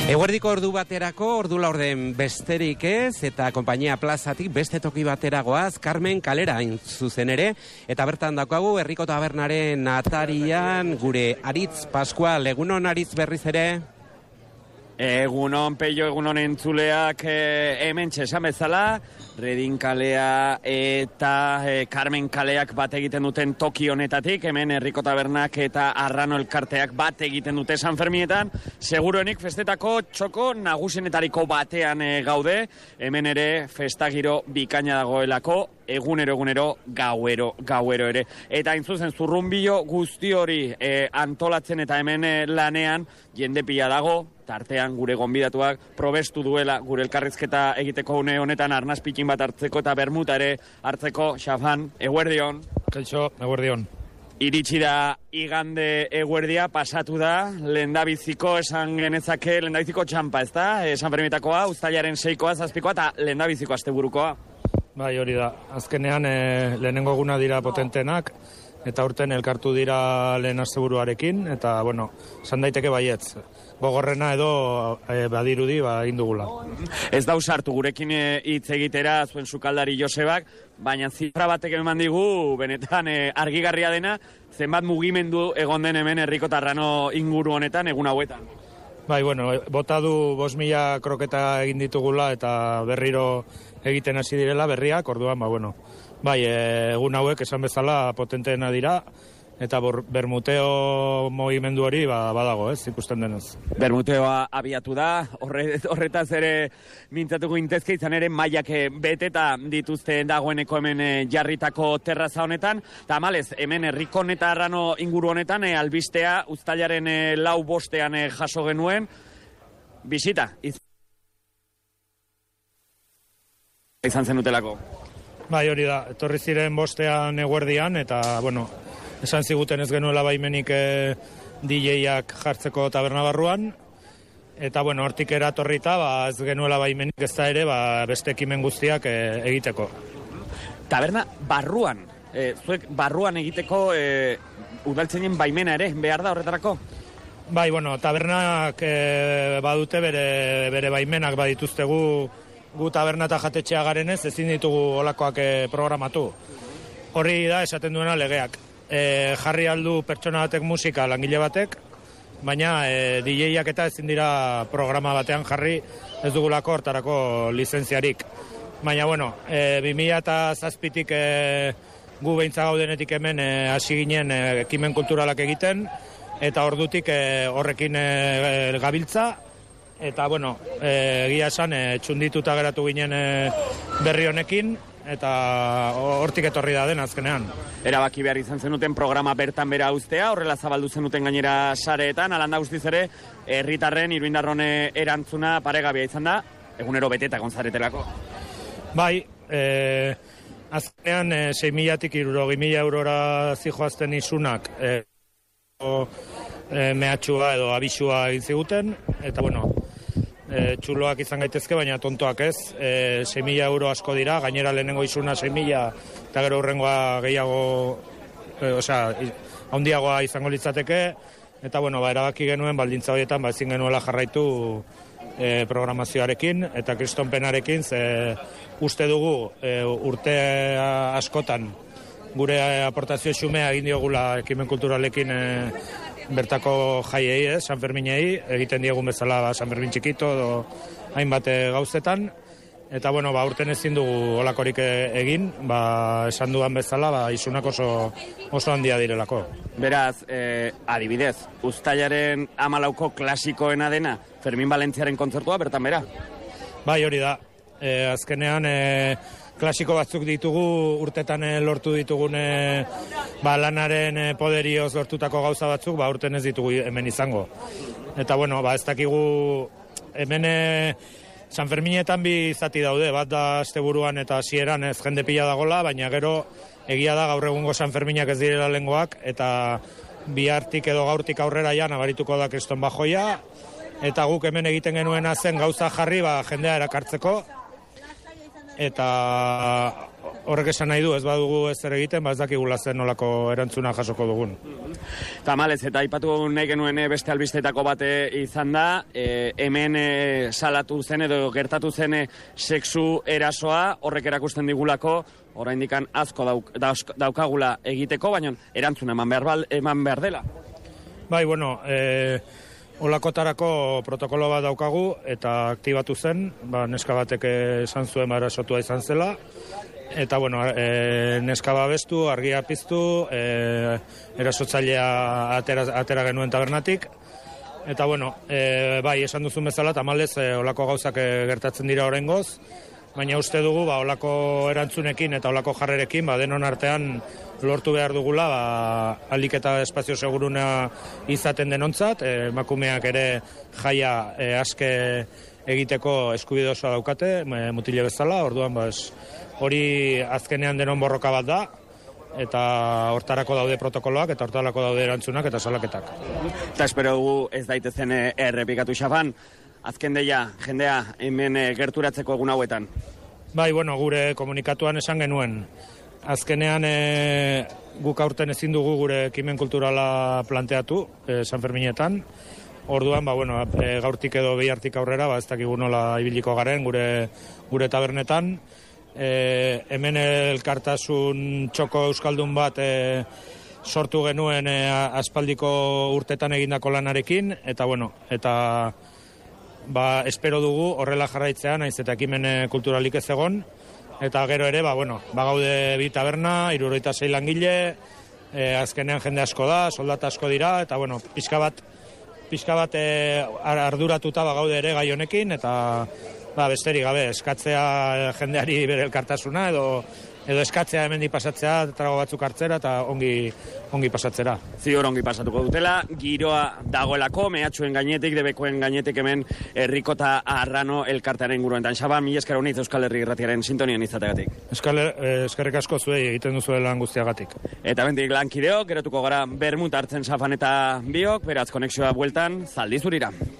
Eguerdiko ordu baterako, ordu laurden besterik ez, eta konpainia plazatik beste toki bateragoaz, Carmen kalera zuzen ere, eta bertan daukagu, Herriko Tabernaren atarian, gure Aritz Pascual, egunon Aritz berriz ere? Egunon, Peio, egunon entzuleak hemen txesan bezala, Redin kalea eta Carmen kaleak bat egiten duten toki honetatik, hemen Herriko Tabernak eta Arrano elkarteak bat egiten dute San Ferminetan, seguruenik festetako txoko nagusenetariko batean gaude, hemen ere festagiro bikaina dagoelako, egunero, gauero ere. Eta intzuzen, zurrunbilo guzti hori antolatzen eta hemen lanean, jende pila dago, tartean gure gonbidatuak probestu duela gure elkarrizketa egiteko une honetan arnaz pikin bat hartzeko eta bermuta ere hartzeko. Xafan, eguerdion. Kaixo, eguerdion. Iritsi da igande eguerdia, pasatu da, lehendabiziko esan genezake, lehendabiziko txampa, ez da? San Fermitakoa, uztailaren 6koa, 7koa eta lehendabiziko asteburukoa. Bai, hori da. Azkenean lehenengo eguna dira potentenak, eta urten elkartu dira lehen asteburuarekin, eta, bueno, esan daiteke baietz. Gogorrena edo badirudi indugula. Ez da usartu gurekin hitz egitera zuen sukaldari Josebak, baina zifra batek eman digu, benetan argigarria dena, zenbat mugimendu egon den hemen Herriko Tarrano inguru honetan, egun hauetan. Bai, bueno, bota du 5.000 kroketa egin ditugula eta berriro egiten hasi direla berriak, orduan, bai, egun hauek esan bezala potenteena dira, eta bermuteo mogimendu hori badago, ez, ikusten denez. Bermuteoa abiatu da, horretaz ere mintzatuko intezke, izan ere mailak beteta dituzte dagoeneko hemen jarritako terraza honetan, eta amalez, hemen Herriko eta Arrano inguru honetan, albistea, uztailaren 4-5 jaso genuen, bisita, izan zenutelako. Bai, hori da, etorri ziren 5 eguerdian, eta, esan ziguten ez genuela baimenik DJ-ak jartzeko taberna barruan, eta, hortik eratorrita, ez genuela baimenik ez da ere, beste ekimen guztiak egiteko. Taberna barruan, zuek barruan egiteko udaltzainen baimena ere, behar da horretarako? Bai, tabernak badute bere baimenak badituztegu, gu taberna eta jatetxea garenez, ezin ditugu olakoak programatu. Horri da, esaten duena legeak. Jarri aldu pertsona batek musika langile batek, baina DJ-ak eta ezin dira programa batean jarri, ez dugulako hortarako lizentziarik. Baina, 2007-tik gu behintza gaudenetik hemen hasi ginen ekimen kulturalak egiten, eta ordutik horrekin gabiltza, eta, egia esan, txundituta geratu ginen berri honekin, eta hortik etorri da den azkenean. Erabaki behar izan zenuten programa bertan bera uztea, horrela zabaldu zenuten gainera sareetan, alanda guztiz ere, herritarren, iruindarrone erantzuna paregabea izan da, egunero beteta gonzaretelako. Bai, azkenean 6.000-tik 60.000 eurora zijoazten isunak mehatxua edo abisua egin ziguten, eta txuloak izan gaitezke, baina tontoak ez. 6.000 euro asko dira, gainera lehenengo izuna 6.000, eta gero hurrengoa gehiago, handiagoa izango litzateke, eta erabaki genuen baldintza horietan ezin genuela jarraitu programazioarekin, eta kristonpenarekin, uste dugu urte askotan gure aportazio xumea egin diogula ekimen kulturalekin bertako jaiei, San Ferminei, egiten diegun bezala San Fermin txikito edo hainbat gauzetan, eta urten ezin dugu olakorik egin, esan duan bezala, isunak oso handia direlako. Beraz, adibidez, uztailaren 14ko klasikoena dena, Fermin Valentziaren kontzertua, bertan bera? Bai, hori da. Azkenean, klasiko batzuk ditugu, urtetan lortu ditugun lanaren poderioz lortutako gauza batzuk, urten ez ditugu hemen izango. Eta, ez dakigu hemen San Ferminetan bi zati daude, bat da asteburuan eta hasieran ez jende pila dagola, baina gero egia da gaur egungo San Ferminak ez direla lengoak, eta bihartik edo gaurtik aurrera ja nabarituko da kriston bajoia, eta guk hemen egiten genuena zen gauza jarri jendea erakartzeko, eta horrek esan nahi du, ez badugu ez zer egiten, ez dakigula zen nolako erantzuna jasoko dugun. Tamalez, eta aipatu nahi genuen beste albistetako bate izan da, hemen salatu zen edo gertatu zen sexu erasoa, horrek erakusten digulako, oraindikan asko daukagula egiteko, baina erantzuna eman behar dela. Bai, bueno, olakotarako protokolo bat daukagu eta aktibatu zen, neska batek esan zuen erasotua izan zela, eta bueno, neska babestu, argia piztu, erasotzailea atera genuen tabernatik, eta bueno, bai, esan duzun bezala, tamalez, olako gauzak gertatzen dira oraingoz, baina uste dugu, olako erantzunekin eta olako jarrerekin, denon artean lortu behar dugula, ahalik eta espazio seguruna izaten denontzat, emakumeak ere jaia aske egiteko eskubide osoa daukate, mutile bezala, orduan hori azkenean denon borroka bat da, eta hortarako daude protokoloak, eta hortarako daude erantzunak eta salaketak. Eta espero dugu ez daitezen errepikatu Xafan, azken deia, jendea hemen gerturatzeko egun hauetan. Bai, bueno, gure komunikatuan esan genuen. Azkenean guk aurten ezin dugu gure ekimen kulturala planteatu, San Ferminetan. Orduan, gaurtik edo bihartik aurrera, ez dakigu nola ibiliko garen gure tabernetan. Hemen elkartasun txoko euskaldun bat sortu genuen aspaldiko urtetan egindako lanarekin, eta espero dugu horrela jarraitzean, naiz eta ekimen kulturalik ez egon, eta gero ere, gaude bi taberna, 76 langile, azkenean jende asko da, soldata asko dira, eta pixka bat arduratuta gaude ere gai honekin, eta besterik gabe, eskatzea jendeari bere elkartasuna, edo eskatzea hemendik pasatzea, trago batzuk hartzera, eta ongi pasatzera. Ziur ongi pasatuko dutela, giroa dagoelako, mehatxuen gainetik, debekoen gainetik hemen Errikota Arrano elkartearen guruentan. Xaba, mila esker honitz Euskal Herri Irratiaren sintonian izategatik. Eskerrik asko zuei egiten duzuela lan guztiagatik. Eta bendik lankideok, gerotuko gara bermut hartzen Xafan eta biok, beraz konexioa bueltan, Zaldizurira.